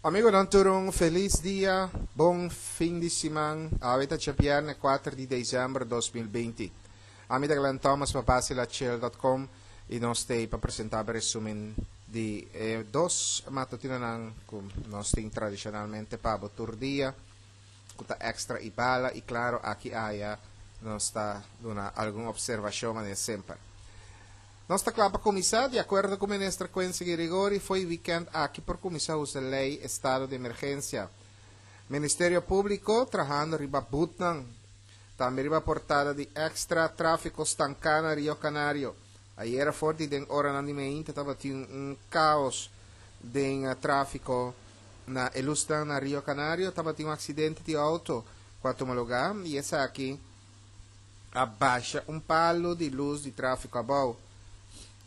Amigonan tur un felis dia, bon fin di siman. Awe ta djabièrnè kuater di desèmber 2020. Ami ta Glenn Thomas pa basilachel.com i nos t'ei pa presentá bo resumen di e dos matutinonan ku nos tin tradishonalmente pa bo tur dia, ku ta Extra i Bala i klaro aki aya nos ta duna algun opservashon manera semper. Nos ta kla pa kuminsá, di akuerdo ku Minister Quincy Girigorie, fo'i wikènt aki por kuminsá usa lei estado di emergensia. Ministerio Públiko trahando riba butnan. Tambe riba portada di Extra, tráfiko stanká na Rio Canario. Ayera for di den oranan di meinta tabatin un kaos den tráfiko na e lusnan na Rio Canario. Tabatin un aksidente di outo ku a tuma lugá i esaki a basha un palu di lus di tráfiko abou.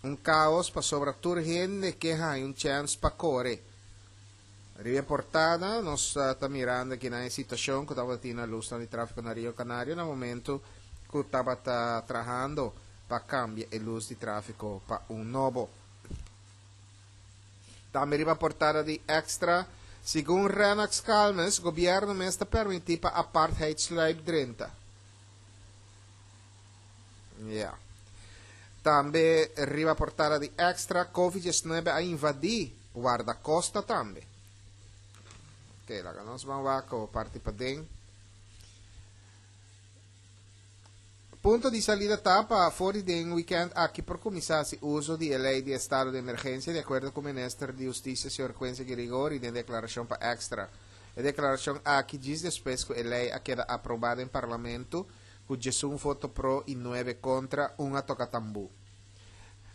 Un kaos pasobra tur hende ke haña un chèns pa kore. Riba e portada nos ta mirando kinan e situashon ku tabatin na lusnan di tráfiko na Rio Canario na momentu ku tabata trahando pa kambia e lus di tráfiko pa un nobo. Tambe riba portada di Extra, segun Rennox Calmes, gobierno mes ta permiti pa apartheid sluip drenta. Ya. Tambe riba portada di Extra, Covid 19 a invadi Guardacosta tambe. Ok, laga nos ban wak o parti paden. Punto di salida ta pa for di den weekend aki por cuminsa haci uzo di e ley di estado di emergencia di acuerdo cu Minister di Husticia señor Quincy Girigorie den declaracion pa Extra. E declaracion aki djis despues cu e ley a keda aproba den Parlamento cu djesun voto pro y nuebe contra, un a toca tambu.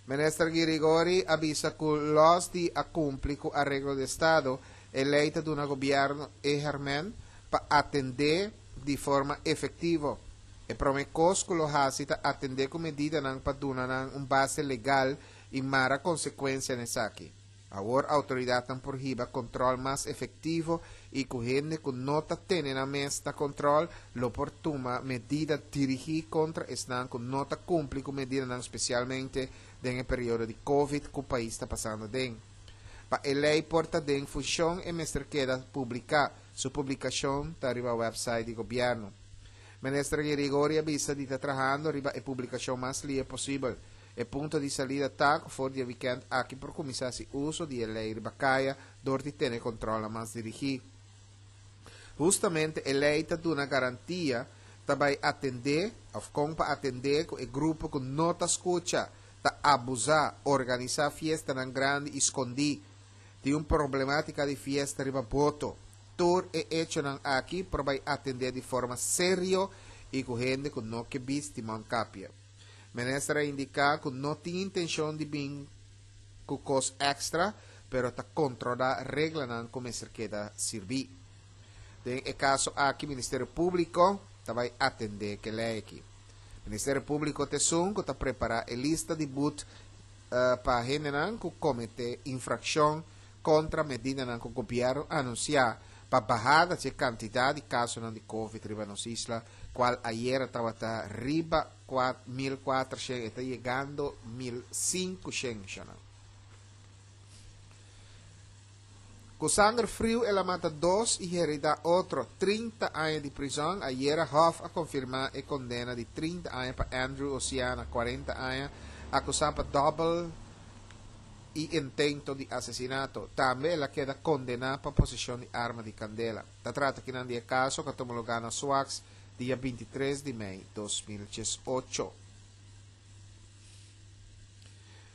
Minister Girigorie a bisa cu los di a cumpli cu areglo di estado, e ley ta duna gobierno e herment pa atende di forma efectivo. E prome cos cu lo haci ta atende cu medidanan pa duna nan un base legal y mara consecuencia na esaki. Awor autoridadnan por hiba control mas efectivo y cu hende cu no ta tene nan mes na control lo por tuma medida dirigi contra esnan cu no ta cumpli cu medidanan specialmente den e periodo di Covid cu pais ta pasando aden. Pa e ley por ta den funcion e mester keda publica. Su publicacion ta riba website di gobierno. Minister Girigorie a bisa di ta trahando riba e publicacion mas lie posibel. E punto di salida ta cu for di e weekend aki por cuminsa haci uso di e ley riba caya dor di tene controlnan mas dirigi. Hustamente e ley ta duna garantia ta bay atende of con pa atende cu e grupo cu no ta scucha, ta abusa, organisa fiestanan grandi y scondi. Tin un problematica di fiesta riba boto. Tur e echonan aki por bai atende di forma serio y cu hende cu no ke bisti mondkapje. Minister a indica cu no tin intencion di bin cu cos extra, pero ta controla reglanan cu mester keda sirbi. Den e caso aki Ministerio Publico ta bai atende ke ley aki. Ministerio Publico ta esun cu ta prepara e lista di boet pa hendenan ku kometé infrakshon kontra medidanan ku gobièrnu anunsiá pa bahada dje kantidat di kasonan di covid riba nos isla, kual ayera tabata riba 1400 e ta yegando 1500 shanan. Ku sanger friu el a mata dos i heridá otro 30 aña di prizòn. Ayera Hof a konfirmá e kondena di 30 aña pa Andrew Oceana, 40 aña, akusá pa dòbel i intento di asesinato. Tambe el a keda kondená pa poseshon di arma di kandela. Ta trata kinan di e kaso ku a tuma lugá na Sfax dia 23 di mei 2018.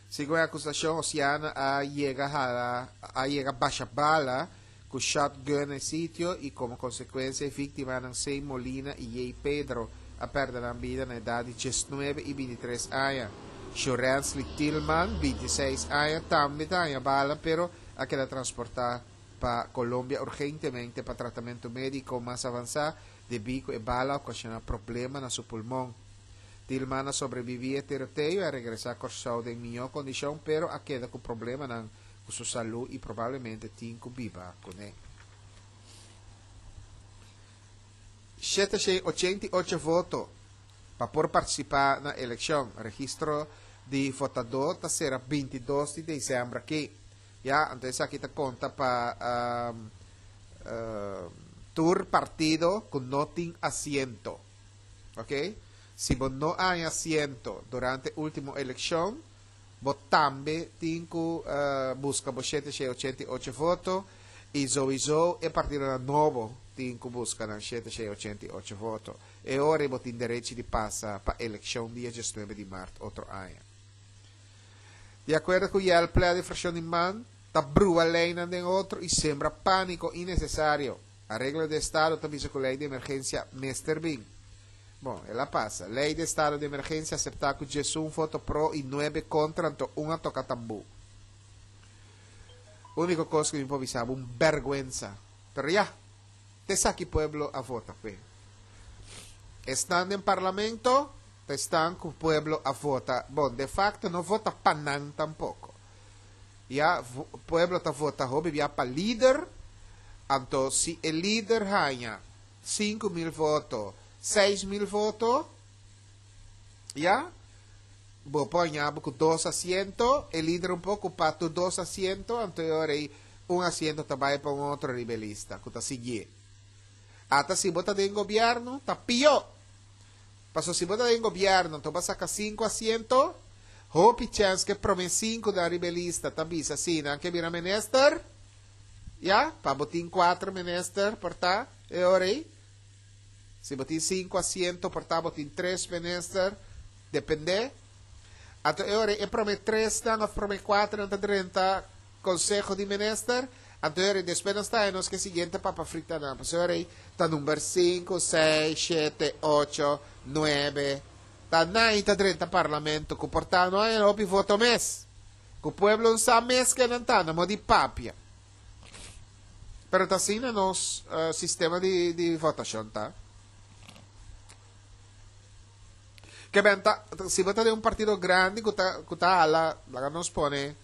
Segun e akusashon, Oceana a yega hala a yega basha bala ku shotgun na e sitio i komo konsekuensia e víktimanan Sey Molina i Yey Pedro a pèrdè nan bida na edat di diesnuebe i bintitres aña. Shurensly Tilman, bintiseis aña, tambe ta haña bala pero a keda transportá pa Colombia urgentemente pa tratamentu médiko mas avansá debí ku e bala a okashoná problema na su pulmon. Tilman a sobrebibí e tiroteo i a regresá Kòrsou den mihó kondishon pero a keda ku problemanan ku su salú i probablemente tin ku biba kuné. 788 voto pa por partisipá na elekshon. Registro di votadó ta sera 22 di desèmber aki. Ya, anto esaki ta konta pa tur partido ku no tin asiento. Ok? Si bo no haña asiento durante último elekshon, bo tambe tin ku buska bo 788 voto i souiso e partidonan nobo tin ku buska nan 788 voto. E ora ei bo tin derechi di pasa pa elekshon dia 19 di mart otro aña. Di akuerdo ku Yelplea di frakshon di man, ta brua leinan den otro i sembra pániko innesesario. Areglo di estado ta bisa ku lei di emergensia mester bin. Bon, el a pasa. Lei di estado di emergensia aseptá ku 11 voto pro i nuebe kontra anto un a toka tambú. Úniko kos ku mi por bisa bo, un bèrgwensa. Pero ya, ta esaki pueblo a vota p'e. Esnan den parlamento ta esnan ku pueblo a vota. Bon, de facto no vota pa nan tampoko. Ya, pueblo ta vota hopi bia pa lider, anto si e lider haña 5000 voto, 6000 voto, ya, bo por haña bo ku dos asiento, e lider un por ocupa tur dos asiento, anto e ora ei un asiento ta bai pa un otro riba e lista ku ta siguié. Ata si bo ta den gobierno, ta pió. Paso si bo ta den gobierno anto bo a saca cinco asiento, hopi chens ke prome cinco nan riba e lista ta bisa si nan ke bira minister, ya, pa bo tin cuatro minister por ta e ora ei. Si bo tin cinco asiento por ta bo tin tres minister, depende. Anto e ora ei e prome tres nan of prome cuatro nan ta drenta Conseho di Minister, anto e ora despues nos ta nos ke siguiente papa frita nan. Pasobra e ora ei ta number sinku, seis, shete, ocho, nuebe, ta nan ta drenta parlamento ku por ta no haña hopi voto mes. Ku pueblo no sa mes ke nan ta, nan mo di papia. Pero ta asina nos sistema di di votashon ta. Ke ben ta, si bo ta den un partido grandi ku ta ku ta hala, laga nos pone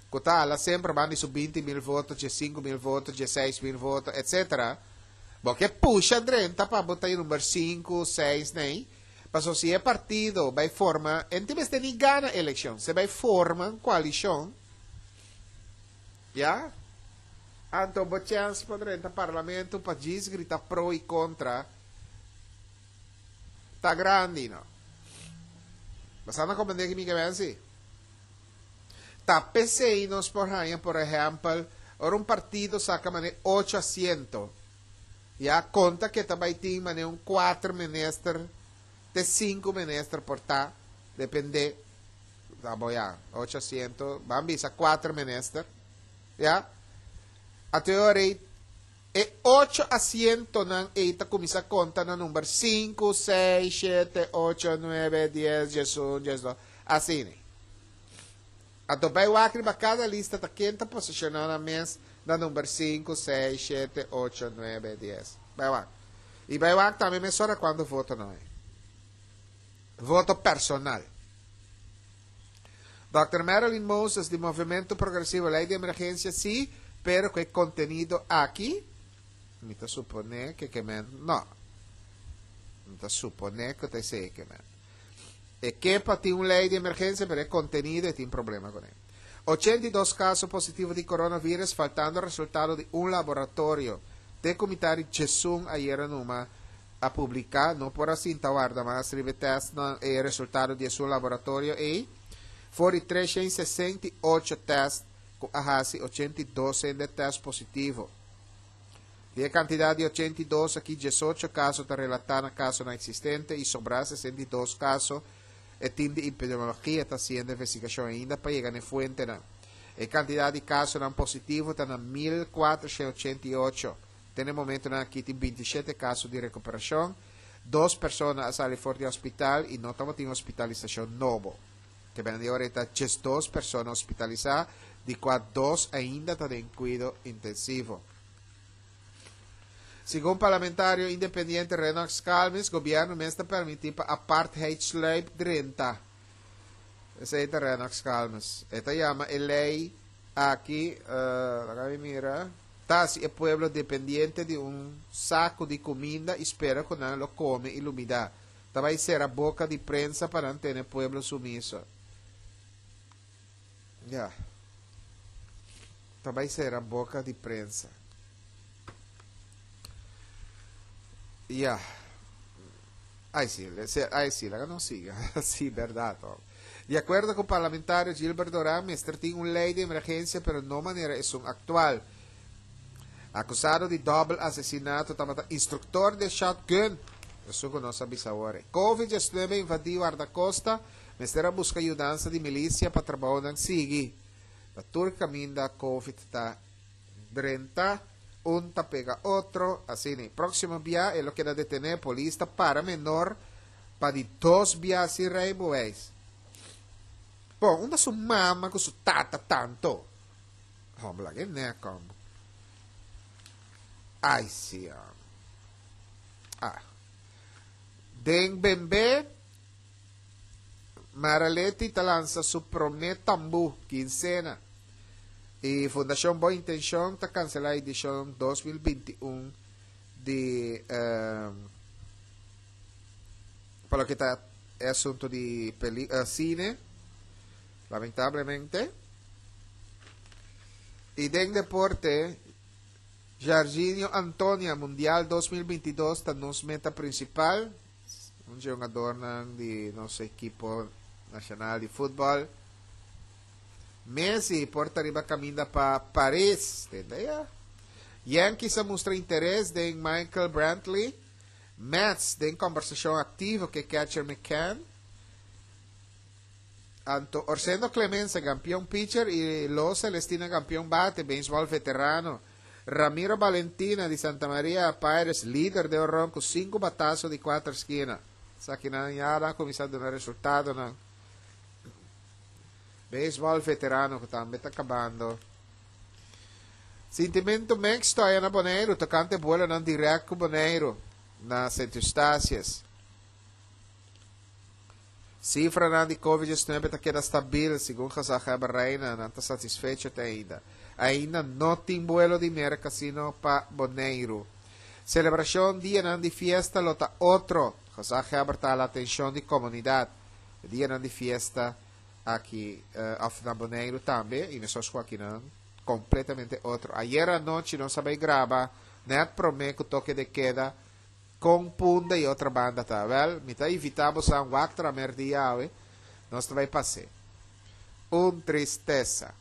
ku ta hala semper ban di su 20.000 voto, 15.000 voto, 16.000 voto, etcetera, bo ke pusha drenta pa bo ta e number sinku, seis nei, pasobra si e partido bai forma, e no tin mester ni gana elekshon, si e bai forma un koalishon, ya, anto bo chèns pa drenta parlamento pa djis grita pro i kontra ta grandi, no. Bo sa na komprende ki mi ke men si? Ta p'esei nos por haña, por ehèmpel, ora un partido saka manera ocho asiento, ya konta ke ta bai tin manera un kuater minister te sinku minister por ta, dependé, ta bo ya, ocho asiento, ban bisa kuater minister, ya. Anto e ora ei e ocho asientonan ei ta kuminsá konta na number sinku, seis, shete, ocho, nuebe, dies, diesun, diesdos, asina. Anto bai wak riba kada lista ta ken ta posishoná nan mes na number sinku, seis, shete, ocho, nuebe, dies. Bai wak. I bai wak tambe mesora kuantu voto nan hay. Voto personal. Dòkter Marilyn Moses di Movementu Progresivo Lei di Emergensia si, pero ku e kontenido aki mi ta suponé ke ke men no. Mi ta suponé ku ta esei ke men. E ke pa tin un lei di emergensia pero e kontenido e tin problema kuné. 82 kaso positivo di coronavirus faltando resultado di un laboratorio. Te ku mitad di djesun ayera numa a publiká no por a sinta warda mas riba e tèstnan e resultado di esun laboratorio ei. For di 368 tèst ku a hasi 82 hende tèst positivo. Di e kantidat di 82 aki 18 kaso ta relatá na kasonan eksistente i sobrá 62 kaso e tim di epidemiologia ta hasiendo investigashon ainda pa yega na e fuentenan. E kantidat di kasonan positivo ta na 1488. Te na e momentonan aki tin 27 kaso di rekuperashon. Dos persona a sali for di hospital i no tabatin hospitalisashon nobo. Te bena di ora ei ta 12 persona hospitalisá, di kua dos ainda ta den kuido intensivo. Segun parlamentario independiente Rennox Calmes, gobierno mes ta permiti pa apartheid sluip drenta. Esei ta Rennox Calmes. E ta yama e ley aki, uh, laga mi mira, ta hasi e pueblo dependiente di un saco di cuminda y spera cu nan lo come y lumida. Ta bay cera boca di prensa pa nan tene pueblo sumiso. Ya. Ta bai sera boka di prensa. Ya. Ai si, ai si, laga nos siga. Si, berdad. Di akuerdo ku parlamentario Gilbert Doran mester tin un lei di emergensia pero no manera esun aktual. Akusado di dòbel asesinato tabata instruktor di e shotgun. Esun ku nos a bisa awor. Covid 19 invadí Wardakosta, mester a buska yudansa di milisia pa trabounan sigui. Ta tur kaminda Covid ta drenta, un ta pega otro, asina. Próksimo bia e lo keda detené, polis ta para menor pa di dos bia sin rijbewijs. Bon, unda su mama ku su tata tanto? Hòmber, laga e nèk hòmber. Ai si hòmber. Ah. Den bembe. Maraletti ta lansa su promé tambú, kinsena, i Fundashon Bon Intenshon ta kanselá edishon 2021 di pa loke ta e asuntu di peli sine, lamentablemente. I den deporte, Jarginho Antonia, Mundial 2022 ta nos meta prinsipal. Un dje hungadornan di nos ekipo nashonal di futbòl. Messi por ta riba kaminda pa Paris. Tende ya. Yankees a mustra interes den Michael Brantley. Mets den kombersashon aktivo ku e catcher McCann. Anto Orsendo Clemenza, kampion pitcher, i Lo Celestina, kampion bate, beisbòl veterano. Ramiro Balentina di Santa Maria Pirates lider den oron ku sinku bataso di kuater skina. Esakinan ya a kuminsá duna resultadonan. Beisbòl veterano ku tambe ta kabando. Sintimentu mixto aya na Boneiru tokante buelonan dirèkt ku Boneiru na Sint Eustatius. Sifranan di Covid 19 ta keda stabil, segun gezaghebber Rijna, nan ta satisfecho te ainda. Ainda no tin buelo di Merka sino pa Boneiru. Selebrashon dianan di fiesta lo ta otro, gezaghebber ta hala atenshon di komunidat. E dianan di fiesta aki of na Boneiru tambe i mesos ku akinan kompletamente otro. Ayera anochi nos a bai graba nèt promé ku toke de keda. Kon Punda i otra banda ta? Wèl, mi ta invitá bosan wak tramer di Yahweh, nos ta bai pas'é. Un tristesa,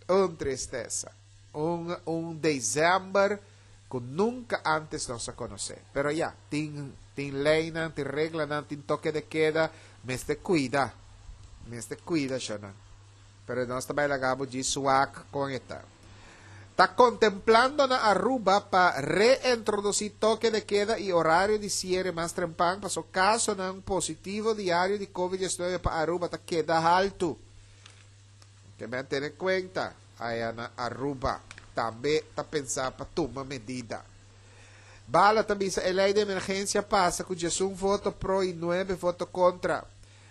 un tristesa, un un desèmber ku nunka ántes nos a konosé. Pero ya, tin tin leinan, tin reglanan, tin toke de keda, mester kuida, mester kuida shonnan. Pero nos ta bai laga bo djis wak kon e ta. Ta kontemplando na Aruba pa reintrodusí toke de keda i orario di siere mas trempan paso kasonan positivo diario di Covid 19 pa Aruba ta keda haltu. Ke men tene kuenta aya na Aruba tambe ta pensa pa tuma medida. Bala ta bisa e lei di emergensia pasa ku 11 voto pro i 9 voto kontra.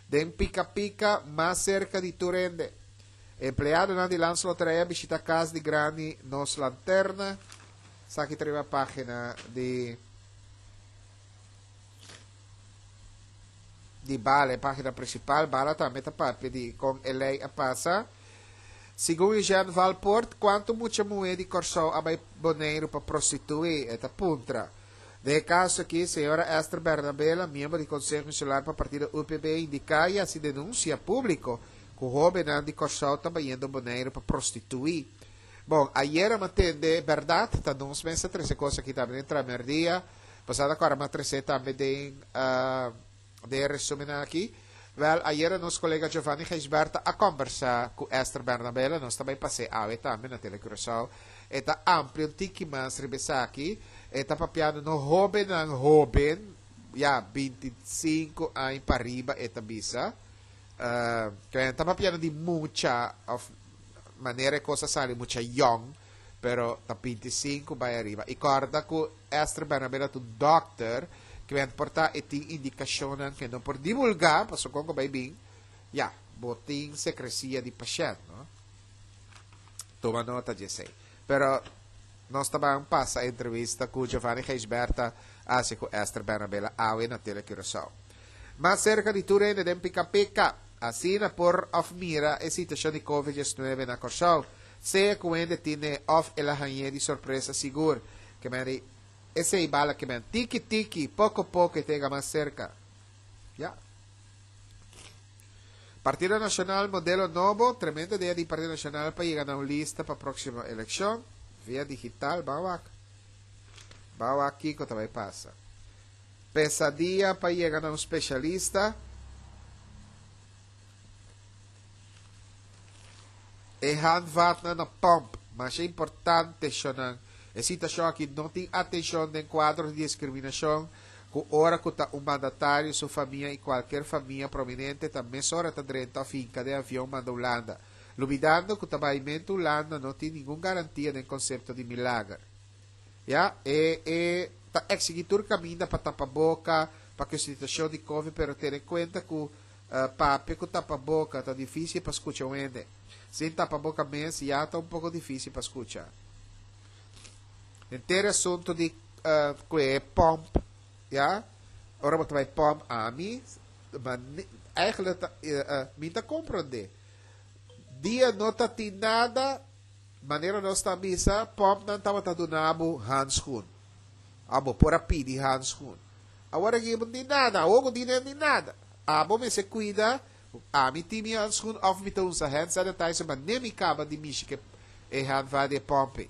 Den Pika Pika, mas serka di tur hende. Empleadonan di Landsloterij a bishita kas di grandi Nos Lanterna. Esaki ta riba pagina di di Bala, e pagina principal. Bala tambe ta papia di kon e lei a pasa. Segun Eugène Valpoort, kuantu mucha muhé di Kòrsou a bai Boneiru pa prostituí? E ta puntra. Den e kaso aki, señora Esther Bernabela, miembro di Konseho Insular pa partido UPB, indiká i hasi denunsia públiko ku hóbennan di Kòrsou ta bayendo Boneiru pa prostituí. Bon, ayera m'a tende bèrdat, ta nos mes a trese kos aki tambe den Tramerdia, pasada kòrda m'a trese tambe den den e resumennan aki. Wèl, ayera nos kolega Giovanni Gijsbertha a kòmbersá ku Esther Bernabela, nos ta bai pas'é awe tambe na Tele Curaçao. E ta amplia un tiki mas riba esaki. E ta papiando no hóbennan hóben, ya, 25 aña pariba e ta bisa. Uh, ta papiando di mucha òf manera e kos a sali mucha yòn, pero ta 25 bai ariba. I kòrda ku Esther Bernabela ta un dòkter, kende por ta e tin indikashonnan ke no por divulgá, pasobra kon ku bai bin, ya, bo tin sekresia di pashènt, no? Tuma nota di esei. Pero nos ta ban pasa e entrevista ku Giovanni Gijsbertha a hasi ku Esther Bernabela awe na Tele Curaçao. Mas serka di tur hende den Pika Pika, asina por òf mira e situashon di Covid 19 na Kòrsou. Sea ku hende tine òf el a hañ'é di sorpresa sigur. Ke men di esei bala ke men tiki tiki, poko poko e ta yega mas serka. Ya. Partido Nacional modelo nobo, tremendo idea di Partido Nacional pa yega na un lista pa próksimo elekshon via digital. Ban wak. Ban wak kiko ta bai pasa. Pesadia pa yega na un spesialista. E handvatnan na pòmp, masha importante shonnan. E situashon aki no tin atenshon den kuadro di diskriminashon ku ora ku ta un mandatario, su famia i kualker famia prominente ta mesora ta drenta òf hinka den avion manda Hulanda, lubidando ku ta baimentu Hulanda no tin ningun garantia den konsepto di milager. Ya, e e ta eksigí tur kaminda pa tapa boka pa ku e situashon di covid pero tene kuenta ku Papia ku tapaboka ta difísil pa skucha un hende. Sin tapaboka mes ya ta un poko difísil pa skucha. Henter e asuntu di ku e pòmp, ya, ora bo ta bai pòmp ami, ma eigenlijk ta mi ta komprondé. Dia no ta tin nada, manera nos ta bisa, pòmpnan tabata duna bo handschoen. Abo por a pidi handschoen. Awor aki bo no tin nada, awor ku tin no tin nada. Abo mester cuida, ami tin mi handschoen of mi ta usa hand sanitizer ma ne mi caba di mishi ke e handvat di e pompe.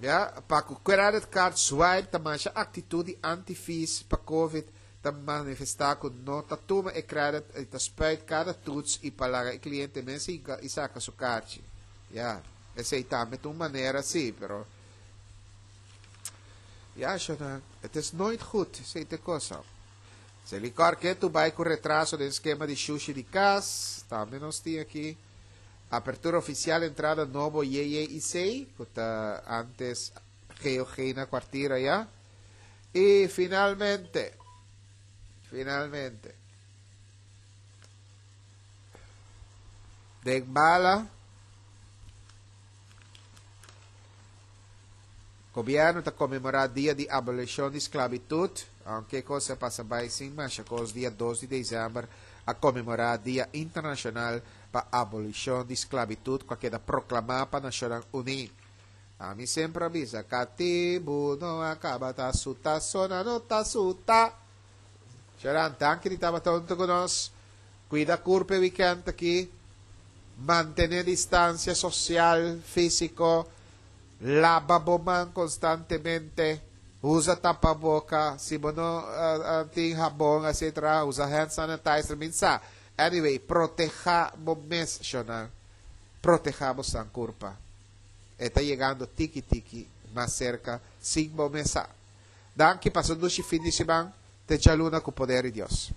Ya, pa cu credit card swipe ta masha actitud di anti-fees pa covid ta manifesta cu no ta tuma e credit y ta spuit cada toets y pa laga e cliente mes hinca y saca su carchi. Ya, esey tambe ta un manera si, pero ya, shona, het is nooit goed, esey ta e cosa. Selikor ketu bai ku retraso den skema di shushi di kas, tambe nos tin aki. Apertura ofisial entrada nobo JJIC, ku ta antes GOG na Kwartier aya. I finalmente, finalmente, den bala, Gobierno ta conmemora dia di abolicion di sclavitud, aunke cos a pasa bay sin masha cos dia dos di december a conmemora dia internacional pa abolicion di sclavitud cu a keda proclama pa Nacionnan Uni. Ami semper a bisa catibu no a caba ta suta sona no ta suta. Sharan, danki di tabata hunto cu nos. Cuida curpa e weekend aki. Mantene distancia social, fisico. Laba bo man konstantemente, usa tapaboka, si bo no tin habon etcetera usa hand sanitizer, min sa. Anyway, proteha bo mes shonnan, proteha bo san kurpa. E ta yegando tiki tiki mas serka sin bo mes sa. Danki, pasa un dushi fin di siman, te djaluna ku poder di Dios.